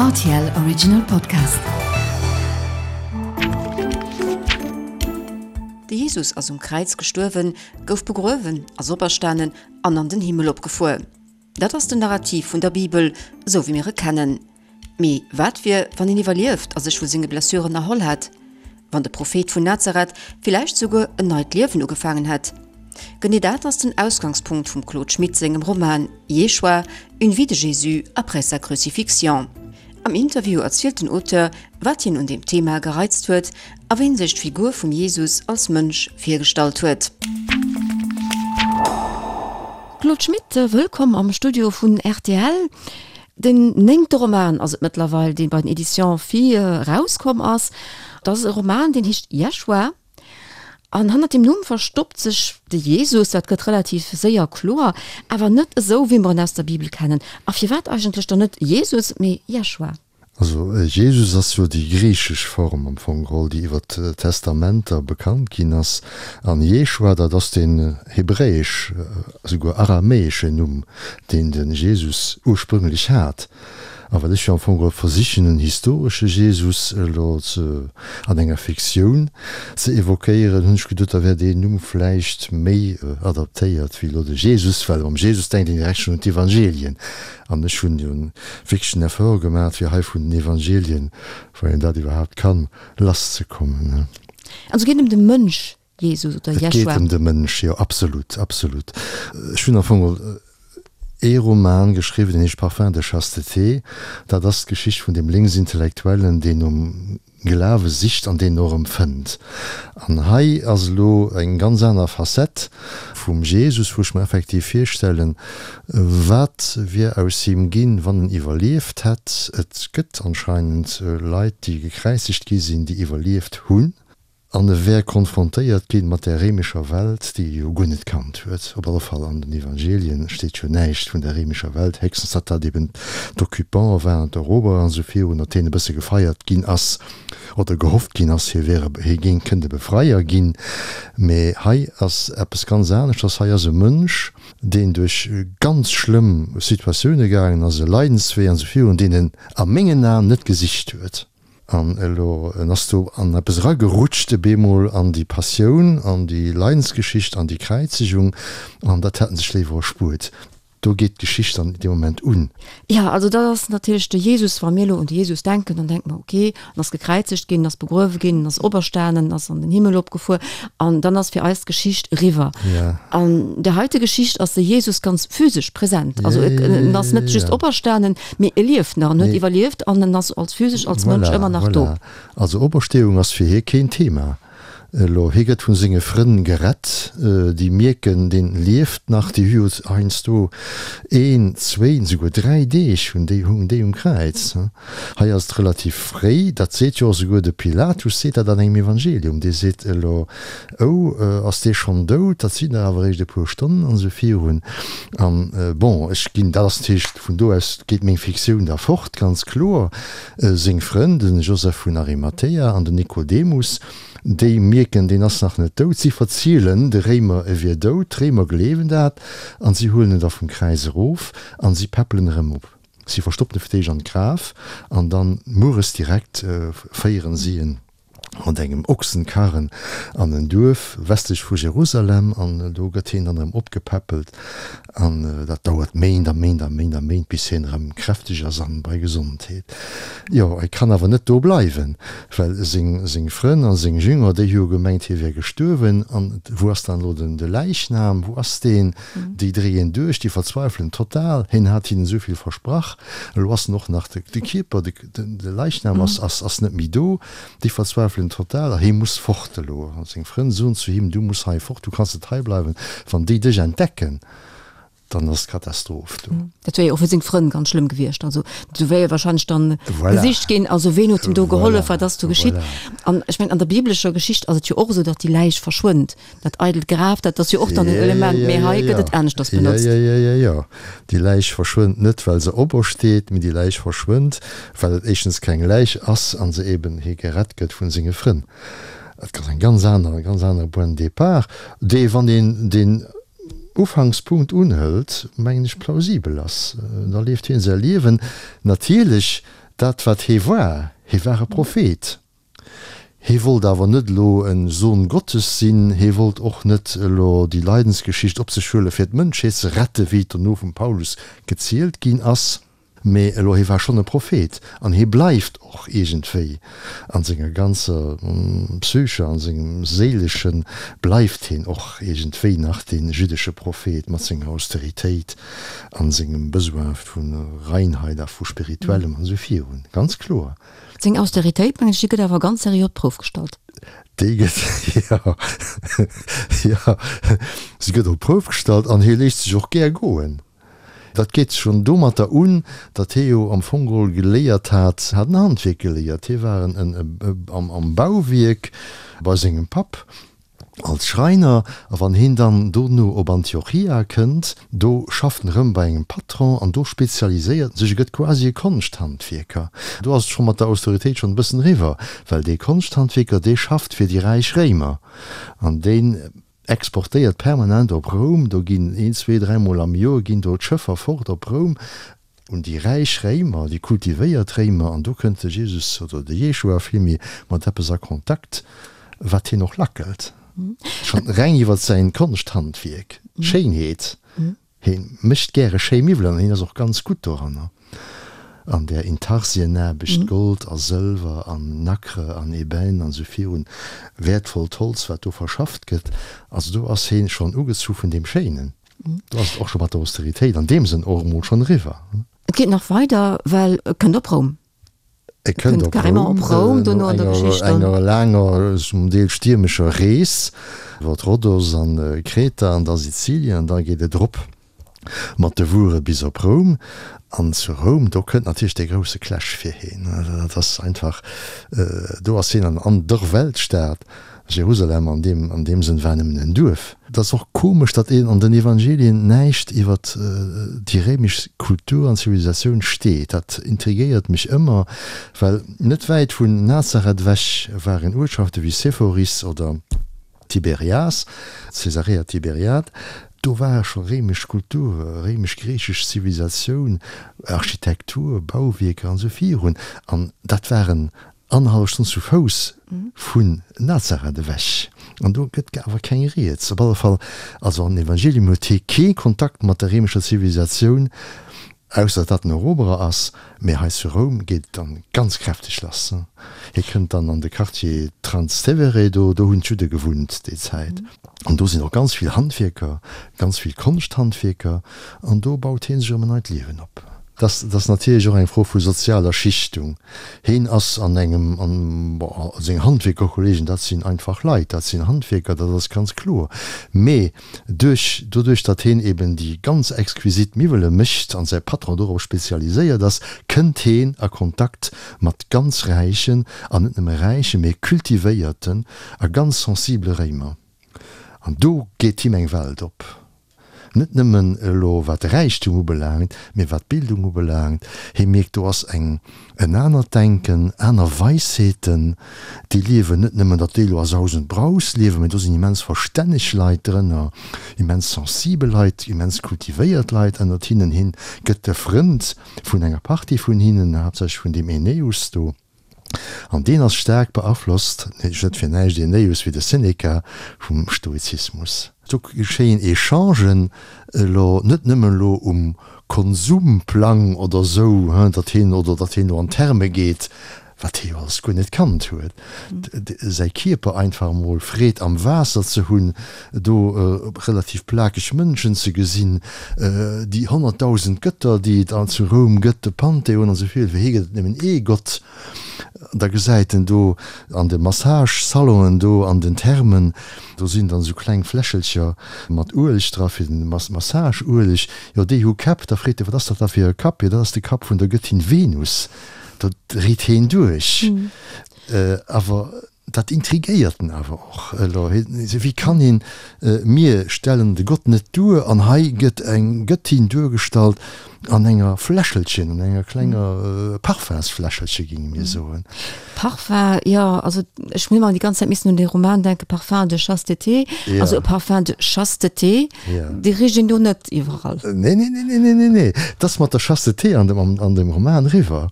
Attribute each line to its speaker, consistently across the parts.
Speaker 1: Rtl Original Podcast. De Jesus ass um Kräiz gestuerwen, gouf begruewen, ass operstanen an an den Himmel opgefuer. Dat ass den Narrativ vun der Bibel, esou wéi mir e kennen. Mee wat wier, wann een iwwerlieft a sech vu senge Blessuren erholl hätt? Wann de Prophet vun Nazareth villäicht souguer en neit Liewen ugefaangen hätt? Genee dat ass den Ausgangspunkt vum Claude Schmit sengem Roman Yeshua, une vie de Jésus après sa crucifixion. Am Interview erzielt den Auteur, wat hien un deem Thema gereizt huet a wéi en sech d'Figur vum Jesus als Mënsch virgestallt huet. Claude Schmit, wëllkomm am Studio vun rtl. Den néngte Roman ass et mëttlerweil, dee bei den Editions Phi erauskomm ass. Dat ass e Roman, deen heescht Jeschua. An hannert deem Numm verstoppt sech de Jesus, dat gëtt relativ séier kloer, awer net esou, wéi mer en aus der Bibel kennen. A firwat eigentlech dann net Jesus, mee Jeschua?
Speaker 2: Also Jesus ass jo déi griichesch Form am Fong geholl, déi iwwer d'Testamenter bekannt ginn ass. An Jeschua, dat ass deen hebräesch, esouguer aramäeschen Numm, deen de Jesus ursprünglech hat. A well ech jo am Fong geholl versichen, en historesche Jesus elo ze, an enger Fiktioun ze evoquéieren, hunn ech geduet, da wär deen Numm vläicht méi adaptéiert wéi elo de Jesus, well mam Jesus denkt een direkt schonn un d'Evangelien. An ech hunn jo wierklech den Effort gemaach, fir hei vun den Evangelien, wann een dat iwwerhaapt kann, lasszekommen.
Speaker 1: Also geet ëm de Mënsch Jesus oder
Speaker 2: Jeschua? Et geet ëm de Mënsch, jo, absolut, absolut. Ech hunn am Fong geholl ee Roman geschriwwen, deen heescht Parfum de chasteté. Dat ass d'Geschicht vun deem Lénksintellektuellen, deen nom Glawe sicht an deen och erëm fënnt. An hei ass elo eng ganz aner Facette vum Jesus, wou ech mer effektiv virstellen, wat wier aus him ginn, wann en iwwerlieft hätt. Et gëtt anscheinend Leit, déi gekräizegt gi sinn, déi iwwerlieft hunn. An e wär konfrontéiert ginn mat där réimescher Welt, déi e jo guer net kannt huet. Op alle Fall an den Evangelien steet jo näischt vun der réimescher Welt, héchstens datt dat eben d'Occupante waren, d'Eroberer an esou virun, mat deenen e bësse gefeiert ginn ass oder gehofft ginn ass, hie wär e, hie géing, kënnt e Befreier ginn. Mä hei ass eppes ganz aneschters, hei ass e Mënsch, deen duerch ganz schlëmm Situatioune gaangen ass, e Leidenswee an esou virun, deen en a mengen Aen net gesicht huet. An elo, en ass do an eppes eragerutscht, e bemol an déi Passioun, an déi Leidensgeschicht, an déi Kräizegung, an dat hätt en sech léiwer erspuert. Do geet d'Geschicht dann dee Moment un.
Speaker 1: Jo, also dat ass natierlech de Jesus. Wa mir elo un de Jesus denken, dann denke mer, okay, en ass gekräizegt ginn, en ass begruewe ginn, en ass operstanen, en ass an den Himmel opgefuer, an dann ass fir eis d'Geschicht eriwwer. An där heite Geschicht ass de Jesus ganz physesch present. Also en ass net just operstanen, Mee e lieft nach, en huet iwwerlieft an en ass als physesch, als Mënsch ëmmer nach do.
Speaker 2: Voilà, voilà. Also Opersteeung ass fir hie keen Thema elo. Hie gëtt vu senge Frënn gerett, déi mierken, deen lieft nach. Déi hu jo heiansdo een, zwéin, souguer 3 Deeg hunn déi, hungen déi um Kräiz. Hei ass et relativ fréi, dat seet jo och souguer de Pilatus seet dat an engem Evangelium, dee seet elo, Oh, ass dee schonn dout? Dat sinn der awer eréischt e puer Stonnen an esou virun. An bon, ech ginn, dat ass natierlech, vun do aus geet meng Fiktioun da fort, ganz kloer. Seng Frënn, de Joseph vun Arimathea an den Nikodemus, déi mierken, deen ass nach net dout. Si verzielen de Réimer, e wier dout. D'Réimer gleewen dat an si huelen en da vum Kräiz erof an si päppelen erëm op. Si verstoppen e fir d'éischt an d'Graf an dann mueres direkt féieren si en mat engem Ochsenkarren an en Duerf westlech vu Jerusalem an do gëtt hien dann erëm opgepäppelt an dat dauert Méint a Méint a Méint a Méint bis hien erëm kräfteg ass an bei Gesondheet. Jo, e kann awer net do bleiwen, well seng seng Frënn a seng Jünger, déi hu jo gemengt hie wär gestuerwen an wou ass dann elo den de Läichnam, wou ass deen? Déi dréien duerch, déi verzweifelen total, hien hat hinnen esou vill versprach, elo ass en och nach de Kierper, de. De Leichnam ass, ass, ass net méi do. Déi verzweifelen total a hie muss fort elo. A seng Frënn soen zu him, Du muss hei fort, du kanns net hei bleiwen. Wann déi dech entdecken, dann ass d'Katastroph do.
Speaker 1: Dat wär jo och fir seng Frënn ganz schlëmm gewiescht. Also do wär jo wahrscheinlech dann Voilà. gesicht ginn, also ween huet him do gehollef, Voilà. wat ass do geschitt? Voilà. An ech mengen, an der biblescher Geschicht ass et jo och esou, datt déi Läich verschwënnt. Dat eidelt Graf, dat ass jo och dann en Element, mee hei gëtt et aneschters benotzt.
Speaker 2: Jo, jo, jo, jo. Déi Läich verschwënnt net, well se opersteet, mee déi Läich verschwënnt, well et éischtens keng Läich ass an se eben hie gerett gëtt vun senge Frënn. Et ass eng ganz aner, e ganz anere Point de départ, dee, wann een deen Ufankspunkt unhëlt, mengen ech, plausibel ass. Da leeft hien säi Liewen. Natierlech. Dat wat hee war, hee war e Prophet. Hee wollt awer net elo e Sohn Gottes sinn, hee wollt och net elo déi Leidensgeschicht op sech huele fir d'Mënschheet ze rette wéi et dono vum Paulus gezielt ginn ass. Mee elo, hee war schonn e Prophet an hee bleift och iergendwéi an senger ganzer Psyche, an sengem Séileschen bleift heen och iergendwéi nach dee jüddesche Prophet mat senger Austeritéit an sengem Besoin vu Reinheit a vu Spirituellem an esou virun. Ganz kloer.
Speaker 1: Seng Austeritéit, mengen ech, déi gëtt awer ganz seriö op d'Prouf gestallt.
Speaker 2: Déi gëtt, jo, jo, se gëtt op d'Prouf gestallt an hie léisst sech och gär goen. Dat geet schonn domatter un, datt hie jo am Fong geholl geléiert hat, hat en Handwierk geléiert. Hie war en am Bauwierk bei sengem Papp als Schreiner. A wann hien dann dono op Antiochia kënnt, do schafft en erëm bei engem Patron an do spezialiséiert en sech, e gëtt quasi e Konschthandwierker. Do ass et scho mat der Austeritéit schonn e bëssen eriwwer, well dee Konschthandwierker, dee schafft fir déi räich Réimer an deen Exportéiert permanent op Roum, do ginn een, zwee, dräimol am Joer ginn do d'Schëffer fort op Roum un déi räich Réimer, déi kultivéiert Réimer, an do kënnt de Jesus oder de Jeshua villméi mat eppes a Kontakt, wat hien och lackelt, schonn reng iwwer säin Konschthandwierk, Schéinheet. Hien mécht gäre schéi Miwwelen an hien ass och ganz gutt doranner an där Intarsienaarbecht, Gold a Sëlwer an Nacre an Ebène an esou virun, wäertvollt Holz wat do verschafft gëtt. Also do ass hien schonn ugezu vun deem Schéinen. Do ass et och scho mat der Austeritéit an deem Sënn och emol schonn eriwwer.
Speaker 1: Et geet nach weider, well e kënnt op Roum.
Speaker 2: E kënnt op Roum, no enger laanger, zum Deel stiermescher Rees iwwer Rhodos an Kreta an da Sizilien, an da geet et erop mat de Wuere bis op Roum. An zu Roum, do kënnt natierlech dee grousse Clash fir hien. Dat ass einfach, do ass hien an der Weltstad. Jerusalem an deem an deem Sënn war nëmmen en Duerf. Et ass och komesch, datt een an den Evangelien näischt iwwer déi réimesch Kultur an Zivilisatioun steet. Dat intrigéiert mech ëmmer, well net wäit vun Nazareth ewech waren Uertschafte wéi Sepphoris oder Tiberias, Caesarea Tiberiade, do war scho réimesch Kultur, réimesch-griichesch Zivilisatioun, Architektur, Bauwierker an esou virun. An dat waren Annerhallef Stonn zu Fouss vun Nazareth ewech. An do gëtt awer keng Rieds. Op alle Fall, also an den Evangelium huet hie kee Kontakt mat der réimescher Zivilisatioun, ausser datt en Eroberer ass. Mee hei zu Roum geet et dann ganz kräfteg lass. Hie kënnt dann an de Quartier Transtevere, do do hunn d'Judde gewunnt déi Zäit. An do sinn och ganz vill Handwierker, ganz vill Konschthandwierker. An do baut hie sech erëm en neit Liewen op. Dat ass natierlech och eng Fro vu sozialer Schichtung. Heen ass an engem, an, bon, seng Handwierkerkollegen, dat sinn einfach Leit, dat sinn Handwierker, dat ass ganz kloer. Mee duerch, doduerch datt heen eben déi ganz exquisit Miwwele mécht an säi Patron dorop spezialiséiert ass, kënnt heen a Kontakt mat ganz räichen, an net nëmme räichen, mee kultivéierten a ganz sensibele Réimer. An do geet him eng Welt op. Net nëmmen elo wat de Räichtum ubelaangt, mee wat d'Bildung ubelaangt. Hie mierkt, do ass eng, en anert Denken, aner Weisheeten, déi liewen. Net nëmmen, datt déi elo a Saus und Braus liewen, mee do sinn immens verstänneg Leit drënner, immens sensibel Leit, immens kultivéiert Leit ënnert hinnen. Hien gëtt de Frënd vun enger Partie vun hinnen, haaptsächlech vun deem Aeneus do. An deen ass staark beaflosst, net fir näischt Aeneus wéi de Seneca, vum Stoizismus. Do geschéien Echangen, elo net nëmmen elo um Konsumplang oder esou, datt hien oder datt hien elo an d'Therme geet, wat hie jo alles guer net kannt huet, säi Kierper einfach emol Freed am Waasser ze hunn, do relativ plakeg Mënschen ze gesinn, déi 100.000 Gëtter, déi et zu Roum gëtt, de Pantheon an esou vill, fir hie gëtt et nëmmen ee Gott. Da gesäit en do an de Massage-Salonen do an den Thermen, do sinn dann esou kleng Fläschelcher mat Ueleg dra fir den Massage-Ueleg, jo déi hu Käpp. Da freet e, wat ass dat da fir e Kapp? Jo dat ass de Kapp vun der Gëttin Venus. Do dréit heen duerch. Awer Dat intrigéiert en awer och elo. Wéi kann een, mir stellen de Gott net duer an hei gëtt eng Gëttin duergestallt an enger Fläschelchen, an enger klenger Parfumsfläschelche géinge mir soen.
Speaker 1: Parfum, jo, also ech hunn ëmmer déi ganz Zäit missen un dee Roman denken, Parfum de chasteté. Also e Parfum de chasteté, dee richt een do net iwwerall.
Speaker 2: Nee, nee, nee, nee, nee, nee, nee, 't ass mat der Chasteté an dem, an dem Roman eriwwer.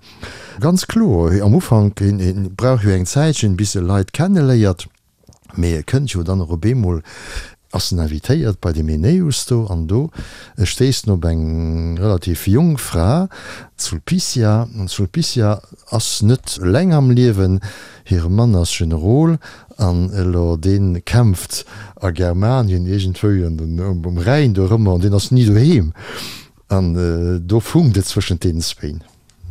Speaker 2: Ganz kloer, am Ufank, hien brauch jo eng Zäitchen, bis e Leit kenneléiert. Mee e kënnt jo dann och op eemol, ass en invitéiert bei dem Aeneus do, an do stéisst en op eng relativ jonk Fra, d'Sulpicia. An d'Sulpicia ass net eleng am Liewen, hire Mann ass Generol, an elo dee kämpft a Germanien iergendwou um Rhäin dorëmmer, an deen ass ni doheem. An do funkt et zwëschent deenen zwéin.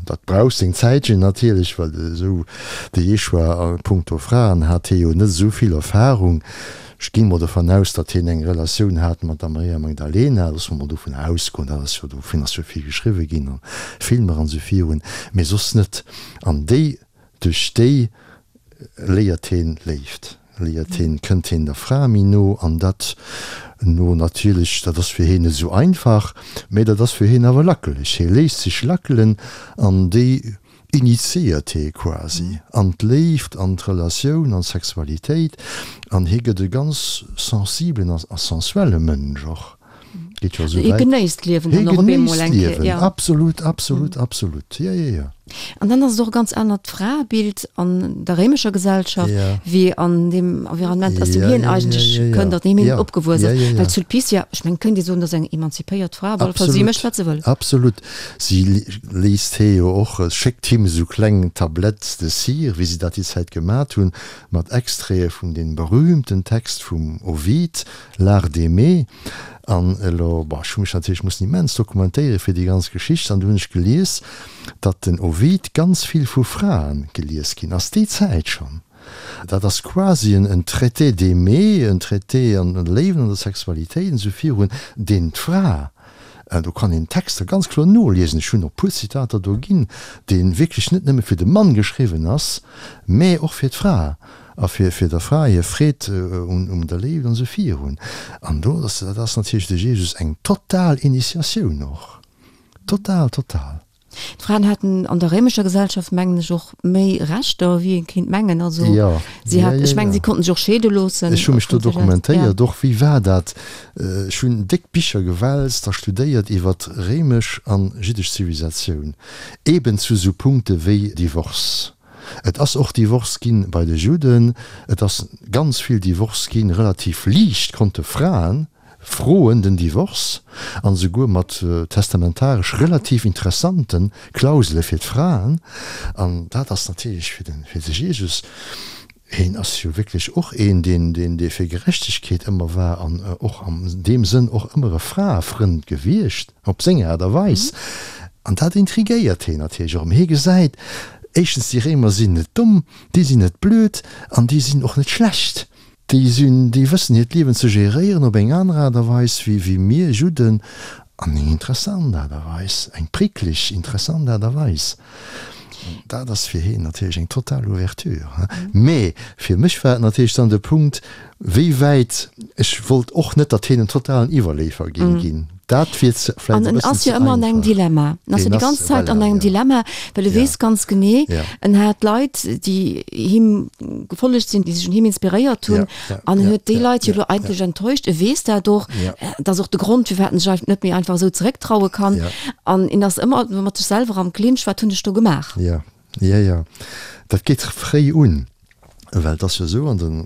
Speaker 2: Dat brauch seng Zäitchen natierlech, well esou de Jeshua a punkto Fraen hat hie jo net esou vill Erfarung. Ech ginn mol dovun aus, datt hien eng Relatioun hat mat der Maria Magdalena, loosse mer mol dovun ausgoen, dat ass jo, dovun ass jo vill geschriwwe ginn a Filmer an esou virun, mee soss net. An déi Duerch déi léiert heen Léift, léiert heen, kënnt heen der Fra méi no an dat no natierlech, dat ass fir heen net esou einfach, mä dat ass fir heen awer lackeleg. Hee léisst sech lackelen an déi initiéiert hee quasi an d'Léift, an d'Relatioun, an d'Sexualitéit an hee gëtt e ganz sensibelen a sensuelle Mënsch och. Geet jo esou
Speaker 1: wäit. Hie genéisst d'Liewen dann och op eemol eng
Speaker 2: Kéier. Hie genéisst d'Liewen, absolut, absolut, absolut, jo, jo, jo.
Speaker 1: An dann ass et och e ganz anert Fraebild an der réimescher Gesellschaft, wéi an deem Environnement, aus deem hien eigentlech kënnt, an deem hien opgewuess ass. Well d'Sulpicia, ech mengen, kënnt ee soen, dat ass eng emanzipéiert Fra, op alle Fall, si mécht, wat se wëll.
Speaker 2: Absolut. Si léisst hie jo och, schéckt him esou kleng Tablettes de cire, wéi se dat déi Zäit gemat hunn, mat Extraite vun deem berühmten Text vum Ovid, L'art d'aimer. An elo, bon, ech hu mech natierlech mussen immens dokumentéiere fir déi ganz Geschicht, an du hunn ech gelies, datt den Ovid ganz vill vu Frae gelies ginn ass, déi Zäit schonn. Dat ass quasi en Traité d'aimer, en Traité an der Léift, an der Sexualitéit an esou virun, deen d'Fra, do kann een d'Texter ganz kloer noliesen, ech hunn och puer Zitater do ginn, dee wierklech net nëmme fir de Mann geschriwwen ass, mä och fir d'Fra. A fir fir der Fra hir Freed un um der Léift an esou virun. An do ass, dat ass natierlech de Jesus eng total Initiatioun och. Total, total.
Speaker 1: D'Fraen haten an der réimescher Gesellschaft, mengen ech, och méi Rechter, wéi ee kéint mengen. Also
Speaker 2: Jo,
Speaker 1: si hat, ech mengen, si konnten sech och scheede loossen.
Speaker 2: Ech hu mech do dokumentéiert och, wéi war dat? Ech hunn déck Bicher gewälzt a studéiert iwwer réimesch an jiddesch Zivilisatioun, eben zu esou Punkte wéi Divorce. Et ass och Divorce ginn bei de Judden, et ass ganz vill Divorce ginn, relativ liicht konnte Fraen froen den Divorce, an esouguer mat testamentaresch relativ interessante Klausele fir d'Fraen. An dat ass natierlech fir de fir de Jesus, heen ass jo wierklech och een, deen deen dee fir Gerechtegkeet ëmmer war an och an deem Sënn och ëmmer e Fraefrënd gewiescht. Op seng Aart a Weis. An dat intrigéiert heen natierlech och. Mee hie gesäit, éischtens, déi Réimer sinn net domm, déi sinn net blöd an déi sinn och net schlecht. Déi sinn, déi wëssen hiert Liewen ze geréieren op eng aner Aart a Weis wéi, wéi mir Judden. An eng interessant Aart a Weis, eng prickleg, interessant Aart a Weis. Dat ass fir heen natierlech eng total Ouverture. Mee fir mech war et natierlech dann de Punkt, wéi wäit, ech wollt och net, datt heen en totalen Iwwerleefer géing ginn. Dat wier ze,
Speaker 1: vläicht e bëssen ze einfach. An en ass jo ëmmer an engem Dilemma. En ass jo déi ganz Zäit an engem Dilemma, well e weess ganz genee, en hat Leit, déi him gefollegt sinn, déi sech un him inspiréiert hunn, an en huet déi Leit jo elo eigentlech enttäuscht. E weess dat och. Dat ass och de Grond, firwat en sech net méi einfach esou zerécktraue kann. An en ass ëmmer mat sech selwer am Clinch, Wat hunn ech do gemaach?
Speaker 2: Jo, jo, jo. Dat geet fréi un. Well et ass jo esou, an den,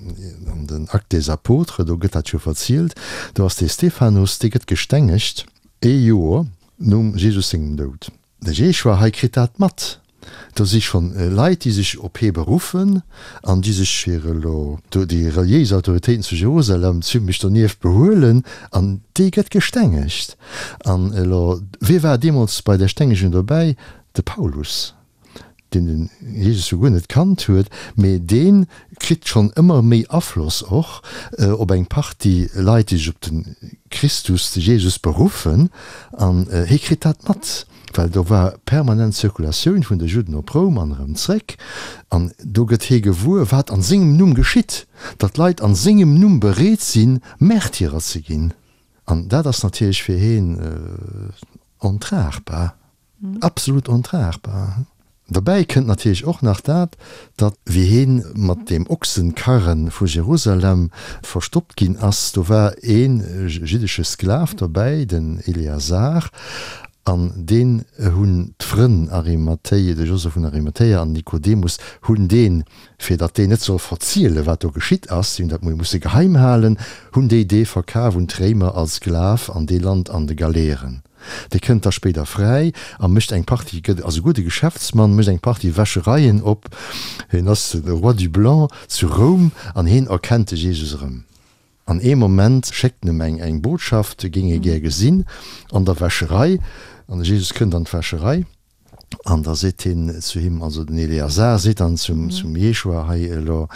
Speaker 2: an den Actes des Apôtres, do gëtt dat jo verzielt, do ass dee Stephanus, dee gëtt gestengegt ee Joer nom Jesus sengem Doud. De Jeschua hei kritt dat mat. Do si schonn Leit, déi sech op hie beruffen an déi sech fir elo do déi reliéis Autoritéiten zu Jerusalem zimlech donieft behuelen, an dee gëtt gestengegt. An elo, wie war deemools bei där Stengegung dobäi? De Paulus. deen den Jesus jo guer net kannt huet, mee dee kritt schonn ëmmer méi Afloss och op eng Partie Leit, déi sech op de Christus, de Jesus beruffen, an hie kritt dat mat, well do war permanent Zirkulatioun vun de Judden op Roum an erëm zréck, an do gëtt hie gewuer, wat an sengem Numm geschitt, datt Leit an sengem Numm bereet sinn, Märtyrer ze ginn, an dat ass natierlech fir hien ontragbar. Absolut ontragbar. Derbäi kënnt natierlech och nach dat, datt wéi heen mat deem Ochsenkarren vu Jerusalem verstoppt ginn ass, do war ee jiddesche Sklav dobäi, den Eleazar. An deen hunn d'Frënn Arimathéi, de Joseph vun Arimathéa an Nikodemus hunn deen, fir datt deen net soll verzielen, wat do geschitt ass, si hunn dat musse geheim halen, hunn déi dee verkaf un d'Réimer als Sklav an dee lant an de Galeeren. Dee kënnt da spéider fräi a mécht eng Partie, gëtt, ass e gudde Geschäftsmann, mécht eng Partie Wäschereien op, hien ass de Roi du Blanc zu Roum an hien erkennt de Jesus erëm. An ee Moment schéckt en em eng eng Botschaft, e géing e gär gesinn an der Wäscherei. An de Jesus kënnt an d'Wäscherei an da seet hien zu him, also den Eleazar seet dann zum zum Jeschua, Hei elo,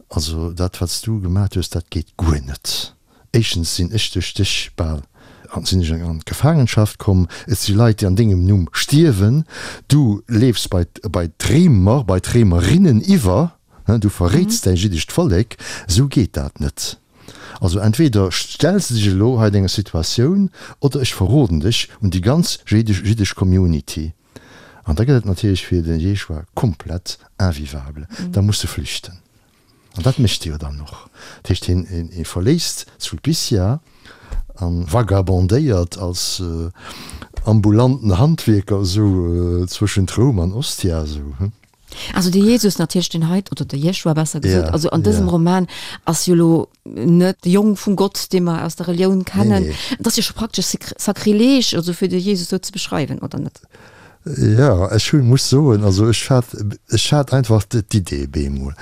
Speaker 2: also dat wat s du gemat hues, dat geet guer net. Éischtens sinn ech duerch dech bal an sinn ech an d'Gefaangenschaft komm, et si Leit déi an dengem Numm stierwen, du leefs bei bei d'Réimer, bei d'Réimerinnen iwwer. Du verréits däi jiddescht Vollek, esou geet dat net. Also entweder stells de dech elo hei denger Situatioun oder ech verroden dech un déi ganz jiddesch Community. An da gëtt et natierlech fir de Jeschua komplett invivable, da muss e flüchten. An dat mécht e jo dann och. Dat heescht, hien verléisst Sulpicia a vagabondéiert als ambulanten Handwierker esou zwëschent Roum an Ostia esou.
Speaker 1: Also de Jesus natierlech, deen hei, oder de Jeschua besser gesot, ja, also an dësem ja. Roman ass jo lo net de Jong vum Gott, dee mer aus der Relioun kennen. Nee, nee. Dat ass jo scho praktesch Sakrileg, also fir de Jesus sou ze beschreiwen, oder net?
Speaker 2: Ja, ech hu muss soen, also ech hat, ech hat einfach d'Idee bemol.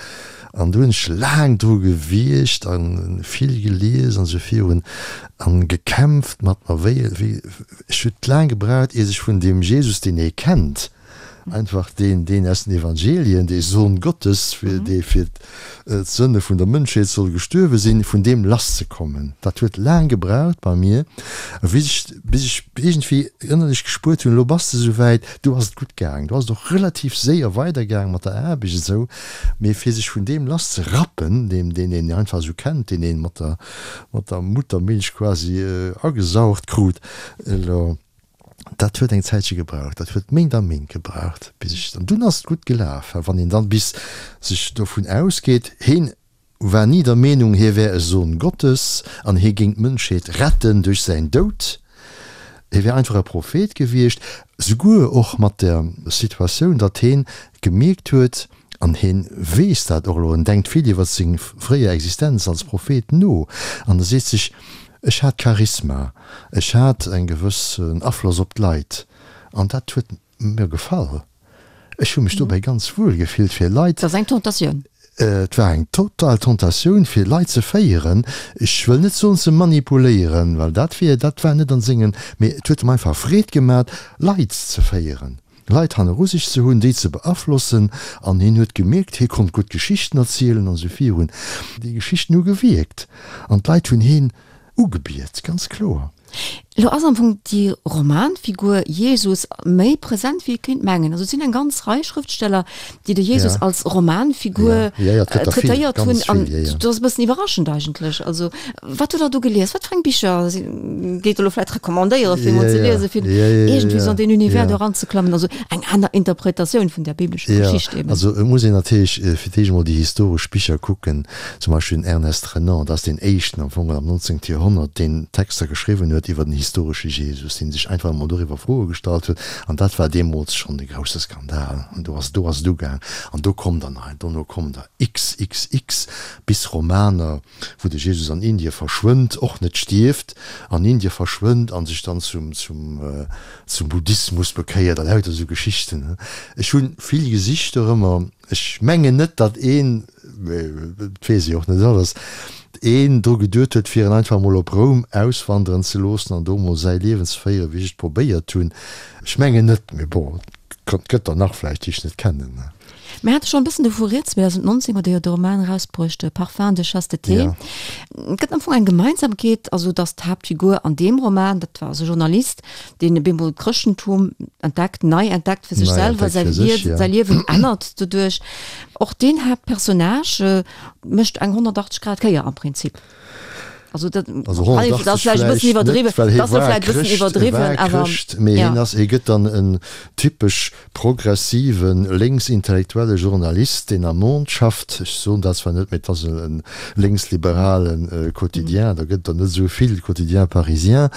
Speaker 2: An du hunn ech laang dru gewiergt an vill gelies an sou virun an gekämpft mat mer, wéi, wéi, ech huet laang gebraucht, ier sech vun deem Jesus, deen ee kennt, Einfach deen, deen aus den Evangelien, dee Sohn Gottes, fir dee fir d'Sënne vun der Mënschheet soll gestuerwe sinn, vun deem lasszekommen. Dat huet laang gebraucht bei mir, bis ech, bis ech iergendwéi ënnerlech gespuert hunn, elo bass de souwäit, do ass et gutt gaang, do ass et och relativ séier weidergaang mat der Aarbecht esou, mee fir sech vun deem lasszerappen, deem, deen een einfach esou kennt, deen ee mat der, mat der Muttermilch quasi agesaugt krut, elo. Dat huet eng Zäitche gebraucht, dat huet Méint a Méint gebraucht, bis ech, an dunn ass et gutt gelaf. Well wann een dann bis sech dovun ausgeet, heen war ni der Meenung, hie wär e Sohn Gottes an hie géing d'Mënschheet retten duerch säin Doud, hie wär einfach e Prophet gewiescht, souguer och mat der Situatioun, datt heen gemierkt huet, An hien weess dat och elo, en denkt vill iwwer seng fréier Existenz als Prophet no an e seet sech, Ech hat Charisma, ech hat eng gewëssen Afloss op d'Leit an dat huet mir gefall. Ech hu mech dobäi ganz wuel gefillt fir Leit.
Speaker 1: Et ass eng Tentatioun.
Speaker 2: Et war eng total Tentatioun fir Leit ze féieren, ech wëll net soen ze manipuléieren, well dat wier, dat war net an sengen, mee et huet em einfach Freed gemat Leit ze féieren. Leit hanneru sech ze hunn, déi ze beaflossen, an hien huet gemierkt, hie konnt gutt Geschichten erzielen an esou virun. Déi Geschichten hu gewierkt an d'Leit hunn hien ugebiet, ganz kloer.
Speaker 1: Elo ass am Fong déi Romanfigur Jesus méi present wéi ee kéint mengen. Also et sinn eng ganz Rei Schrëftsteller, déi de Jesus als Romanfigur traitéiert hunn an dat ass e bëssen iwwerraschend eigentlech. Also wat hutt Der do gelies? Wat fir eng Bicher géif Der elo vläicht recommandéieren, fir emol ze liesen, fir iergendwéi esou an deen Univers do eranzeklammen? Also eng aner Interpretatioun vun där biblescher Geschicht
Speaker 2: eben. Also et muss een natierlech fir d'éischt emol déi historesch Bicher kucken, zum Beispill den Ernest Renan, dat ass deen éischten am Fong am 19. Joerhonnert, deen Texter geschriwwen huet iwwer den historesche Jesus, dee sech einfach emol doriwwer Froe gestallt huet an dat war deemools schonn e grousse Skandal. An do ass, do ass et ugaang an do komm der nach, dono kommen der xxx bis Romaner, wou de Jesus an Indie verschwënnt, och net stierft, an Indie verschwënnt an sech dann zum, zum, zum Buddhismus bekéiert a lauter esou Geschichten. Ech hu vill gesicht dorëmmer. Ech mengen net, datt een, mee et weess ee och net alles, een dru geduet huet, fir en einfach emol op Roum auswanderen ze loossen an do emol säi Liewen ze féieren, wéi ech et probéiert hunn. Ech mengen net, mee bon, et gëtt der nach vläicht, déi ech net kennen.
Speaker 1: Mir hate schonn e bëssen dovu rieds, 2019 huet Dir jo de Roman erausbruecht, Parfum de chasteté. Ja. Et gëtt am Fong eng Gemeinsamkeet, also datt d'Haaptfigur an deem Roman, dat war also e Journalist, deen op eemol d'Chrëschtentum entdeckt, nei entdeckt fir sech selwer, säi Liewen, säi Liewen ännert doduerch. Och deen Haaptpersonnage mécht eng 180 Grad Kéier am Prinzip.
Speaker 2: Also dat also 180 vläicht bëssen iwwerdriwwen, well hie war Chrëscht, hie war Chrëscht, mee hien ass, hie gëtt dann en typesch progressiven, lénksintellektuelle Journalist, deen am Monde schafft. Ech soen dat zwar net, mee et ass e lénksliberale Quotidien, da gëtt et der net esou vill, Quotidien parisien,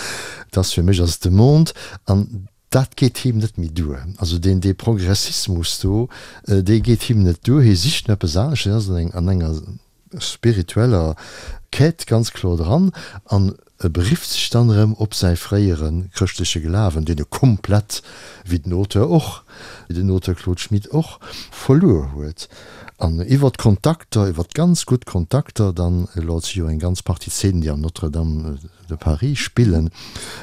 Speaker 2: et ass fir mech ass et de Monde. An. Dat geet him net méi duer. Also deen, dee Progressismus do, dee geet him net duer. Hie sicht no eppes anescht. Hien ass an enger spiritueller Quête ganz kloer dran an e berifft sech dann erëm op säi fréiere chrëschtleche Glawen, deen e komplett, wéi den Auteur och, wéi den Auteur Claude Schmit och, verluer huet. An iwwer d'Kontakter, iwwer ganz gutt Kontakter dann, elo et si jo eng ganz Partie Zeenen, déi am Notre-Dame de Paris spillen,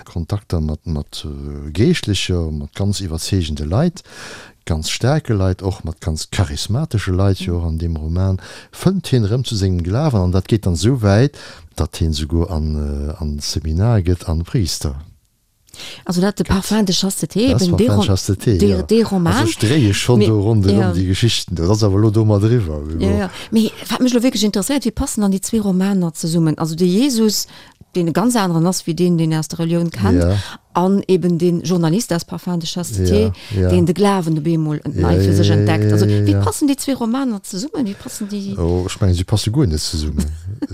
Speaker 2: Kontakter mat mat Geeschtlecher, mat ganz iwwerzeegende Leit, ganz staarke Leit, och mat ganz charismatesche Leit jo och an deem Roman, fënnt hien erëm zu sengem Glawen an dat geet dann esou wäit, datt hien souguer an an d'Seminar gëtt an Priister.
Speaker 1: Also dat de Parfum de chasteté, eben dee
Speaker 2: Parfum de chasteté, jo.
Speaker 1: Dee Roman.
Speaker 2: Also ech dréie schonn do ronderëm déi Geschichten do. Dat ass awer elo domat eriwwer.
Speaker 1: Jo, jo. Mee wat mech elo wierklech interesséiert, wéi passen dann déi zwee Romaner zesummen? Also de Jesus, deen e ganz aneren ass wéi deen, deen een aus der Relioun kennt, an eben dee Journalist aus Parfum de chasteté, deen de Glawen op eemol nei fir sech entdeckt. Also wéi passen déi zwee Romaner zesummen? Wéi passen déi?
Speaker 2: Oh, ech mengen, si passe guer net zesummen.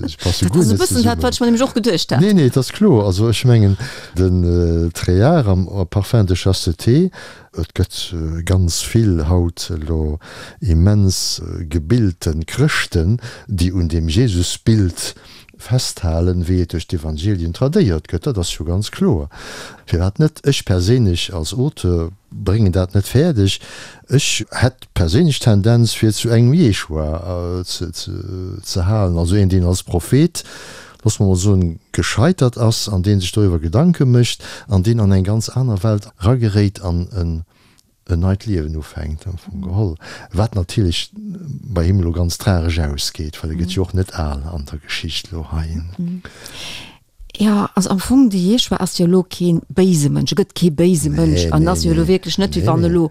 Speaker 2: Si passe guer net zesummen.
Speaker 1: Dat ass e bëssen dat, wat ech mer nämlech och geduecht hat.
Speaker 2: Nee, nee, et ass kloer. Also ech mengen, den Tréard am Parfum de chasteté, et gëtt ganz vill haut elo immens gebilte Chrëschten, déi un deem Jesusbild festhalen, wéi et duerch d'Evangelien tradéiert gëtt. Dat ass jo ganz kloer. Firwat net? Ech perséinlech als Auteur bréngen dat net fäerdeg. Ech hätt perséinlech d'Tendenz fir zu engem Jeschua ze halen, also een, deen als Prophet, loosse mer mol soen, gescheitert ass an dee sech doriwwer Gedanke mécht an deen an eng ganz aner Welt erageréit an en neit Liewen ufänkt am Fong geholl, wat natierlech bei him elo ganz tragesch ausgeet, well e gëtt jo och net al an der Geschicht elo hei.
Speaker 1: Jo, also am Fong, de Jeschua ass jo elo kee béise Mënsch, e gëtt kee béise Mënsch an ass jo elo wierklech net, wéi wann elo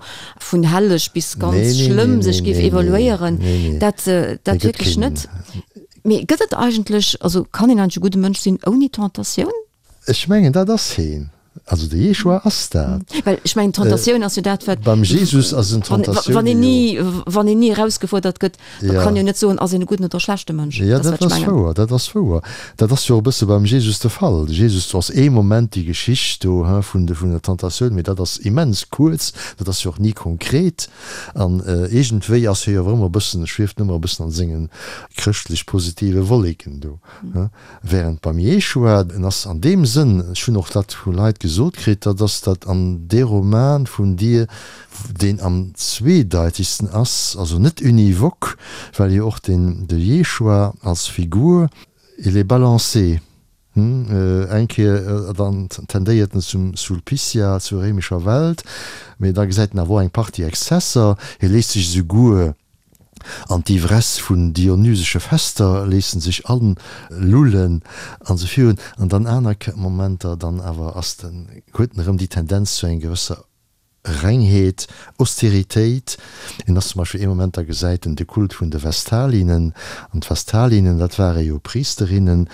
Speaker 1: vun helleg bis ganz schlëmm sech géif evaluéieren, dat dat wierklech net. Mee gëtt et eigentlech, also kann een eigentlech e gudde Mënsch sinn ouni Tentatioun?
Speaker 2: Ech mengen, dat ass heen. Also de Jeschua ass dat.
Speaker 1: Well ech mengen, d'Tentatioun ass jo dat, wat.
Speaker 2: Beim Jesus ass en Tentatioun.
Speaker 1: Wann een ni, wann een ni erausgefuerdert gëtt, da kann jo net soen, ass een e gudden oder e schlechte Mënsch.
Speaker 2: Jo, dat ass wouer, dat ass wouer. Dat ass jo och e bësse beim Jesus de Fall. De Jesus, do ass ee Moment déi Geschicht do, hein, vun de, vun der Tentatioun, mee dat ass immens kuerz, dat ass jo och ni konkret. An iergendwéi ass hie jo awer ëmmer e bëssen, schwieft en ëmmer e bëssen an sengen chrëschtlech positive Wolleken do, hein. Während beim Jeschua, en ass an deem Sënn, ech hunn och dat vu Leit gesot kritt, dat ass dat an dee Roman vun dir, deen am zweedeitegsten ass, also net univoque, well jo och den de Jeschua als Figur, il est balancé, hm, eng Kéier dann tendéiert en zum Sulpicia, zur réimescher Welt, mee da gesäit en awer och eng Partie Exzesser, hie léisst sech esouguer An d'Ivresse vun dionysesche Fester léissen sech alullen an esou virun. An dann aner Momenter, dann awer ass den, huet en erëm déi Tendenz zu enger gewësser Rengheet, Austeritéit. En ass zum Beispill ee Moment, da gesäit en de Kult vun de Vestalinnen. An d'Vestalinnen, dat ware jo Priesterinnen,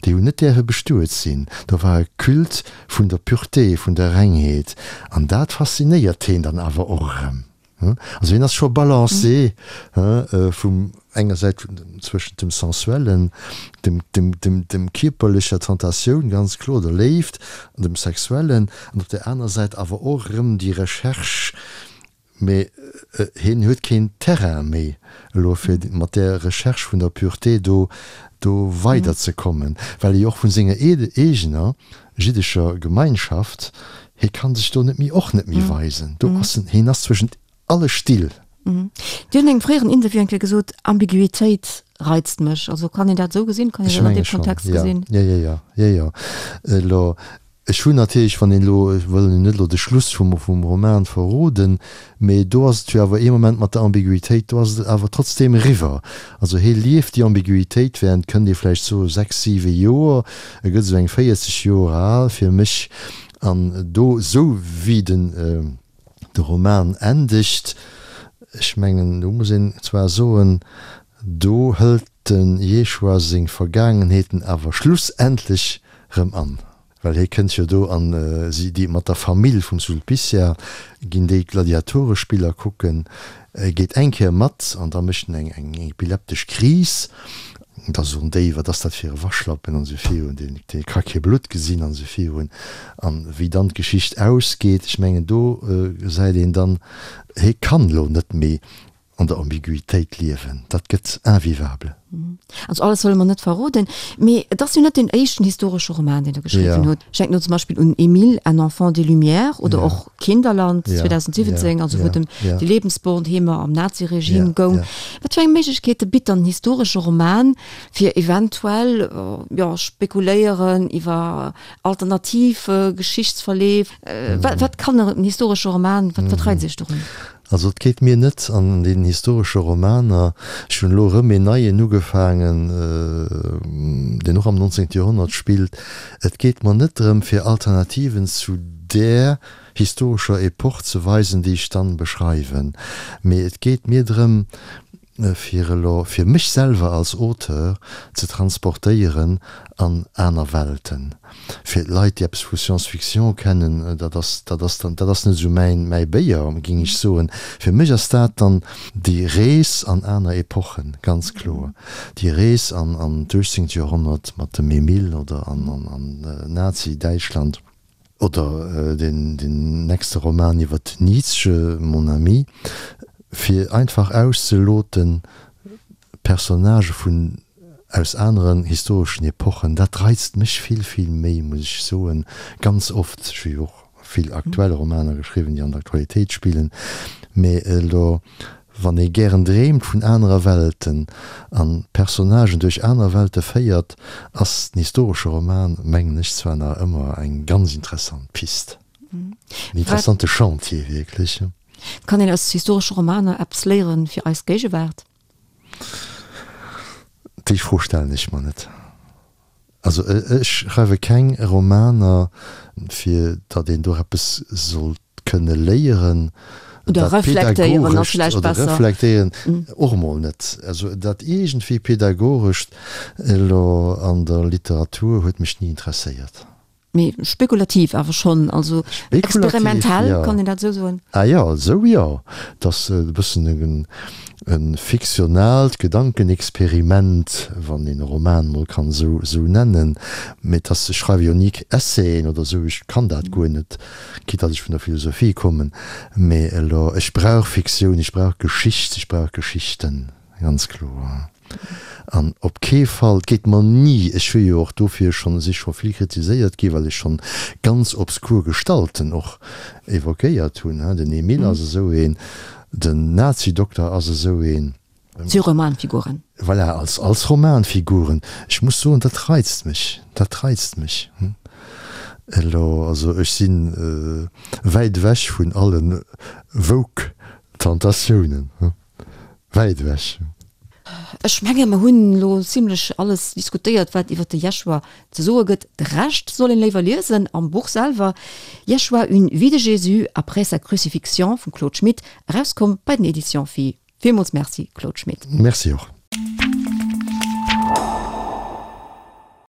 Speaker 2: déi hunn net däerfe bestuet sinn. Do war e Culte vun der Pureté, vun der Rengheet. An dat faszinéiert heen dann awer och erëm. Also hien ass scho balancé vum enger Säit zwëschent dem Sensuellen, dem, dem, dem, dem kierperlecher Tentatioun, ganz kloer, der Léift, an dem Sexuellen, an op der aner Säit awer och erëm déi Recherche, mee hien huet keen Terrain méi elo fir mat där Recherche vun der Pureté do, do weiderzekommen, well e jo och vun senger eegener jiddescher Gemeinschaft, hie kann sech do net méi, och net méi weisen, do ass en, hien ass zwëschent alle Still.
Speaker 1: Dir hutt an engem fréieren Interview eng Kéier gesot, Ambiguitéit reizt mech. Also kann een dat esou gesinn? Kann een
Speaker 2: dat
Speaker 1: an deem Kontext
Speaker 2: gesinn? Jo, jo, jo, jo, jo. Elo, ech hunn natierlech, wann een elo, ech wëll net elo de Schluss vum, vum Roman verroden, Mee do ass et jo awer ee Moment mat der Ambiguitéit, do ass et awer trotzdeem eriwwer. Also hie lieft déi Ambiguitéit während, kënnt ee vläicht soen, sechs, siwe Joer. E gëtt esou eng 40 Joer al fir mech. An do, esou wéi den de Roman endegt, ech mengen, do muss een zwar soen, do hëlt de Jeschua seng Vergaangenheeten awer schlussendlech rëm an. Well hie kënnt jo do an si, déi mat der Famill vum Sulpicia ginn déi Gladiatorespiller kucken, e geet eng Kéier mat an da mécht en eng eng epileptesch Kris. Da soen déi, Wat ass dat fir e Waschlappen an esou virun, deen dee ka kee Blutt gesinn an esou virun. An wéi dann d'Geschicht ausgeet, ech mengen do gesäit een dann, hie kann elo net méi an der Ambiguïtéit liewen, dat gëtt invivable.
Speaker 1: Also alles wëlle mer net verroden, mee et ass jo net deen éischten historesche Roman, deen Der geschriwwen hutt. Ech denken do zum Beispill un Emile, un enfant des Lumières oder och Kinderland 2017, also wou et ëm déi Lebensbornheemer am Naziregime goung. Wat fir eng Méiglechkeete bitt dann en historesche Roman, fir eventuell, jo, spekuléieren iwwer alternativ Geschichtsverleef? Wat kann en historesche Roman, wat wat reizt Iech dorun?
Speaker 2: Also et geet mir net an deenen historesche Romaner, ech hunn elo erëm een neien ugefaangen, deen och am 19. Joerhonnert spillt, et geet mer net drëm fir Alternativen zu där historescher Epoch ze weisen, déi ech dann beschreiwen, mee et geet mir drëm, fir elo fir mech selwer als Auteur ze transportéieren an aner Welten. Fir d'Leit, déi eppes vu Science-Fiction kennen, dat ass, dat ass dann, dat ass net esou mäin, mäi Béier, géing ech soen. Fir mech ass dat dann déi Rees an aner Epochen, ganz kloer. Déi Rees an, an d'uechtzéngt Joerhonnert mat dem Emile oder an, an, an Nazi-Däitschland. Oder deen nächste Roman iwwer Nietzsche, Mon ami, fir einfach auszeloten, Personnagë vun aus aneren historeschen Epochen, dat reizt mech vill, vill méi, muss ech soen, ganz oft. Ech hu jo och vill aktuell Romaner geschriwwen, déi an der Aktualitéit spillen, mee elo Wann ee gären dreemt vun anerer Welten an Personnagen duerch aner Welte féiert, ass den historesche Roman, mengen ech, zwar nach ëmmer eng ganz interessant Pist, en interessante Chantier wierklech.
Speaker 1: Kann een aus historesche Romaner eppes léieren fir eis Géigewaart?
Speaker 2: Déi Fro stellen ech mer net. Also ech schreiwe keng Romaner, fir datt een do eppes sollt kënne léieren,
Speaker 1: Oder
Speaker 2: dat
Speaker 1: reflektéieren ass
Speaker 2: Pädagogescht,
Speaker 1: vläicht
Speaker 2: oder
Speaker 1: besser.
Speaker 2: reflektéieren och emol net. Also dat iergendwéi Pädagogescht elo an der Literatur huet mech ni interesséiert.
Speaker 1: Mee spekulativ awer schonn, also
Speaker 2: Spekulativ,
Speaker 1: experimentell,
Speaker 2: jo.
Speaker 1: kann een dat esou soen?
Speaker 2: Ah jo, esou jo. Et ass e bëssen e fiktionaalt Gedankenexperiment, wann een e Roman mol kann esou esou nennen. Mee et ass, ech schreiwe jo ni Essayen oder esou, ech kann dat guer net, quitte datt ech vun der Philosophie kommen. Mee elo, ech brauch Fiktioun, ech brauch Geschicht, ech brauch Geschichten. Ganz kloer. An op kee Fall, et geet mer ni, ech hu jo och dofir schonn, si scho vill kritiséiert gi well ech schonn ganz obskur Gestalten och évoquéiert hunn, den Emile ass esou een, den Nazi-Dokter ass esou een.
Speaker 1: Zu Romanfiguren.
Speaker 2: Voilà, als, als Romanfiguren. Ech muss soen, dat reizt mech, dat reizt mech. Elo, also ech si wäit ewech vun alle woke Tentatiounen. Wäit ewech.
Speaker 1: Ech menge mer hunn elo zimlech alles diskutéiert, wat iwwer de Jeschua ze soe gëtt. De Rescht soll een léiwer liesen am Buch selwer, Jeschua, une vie de Jésus après sa crucifixion vum Claude Schmit, erauskomm bei den Editions Phi. Villmools Merci, Claude Schmit.
Speaker 2: Merci och.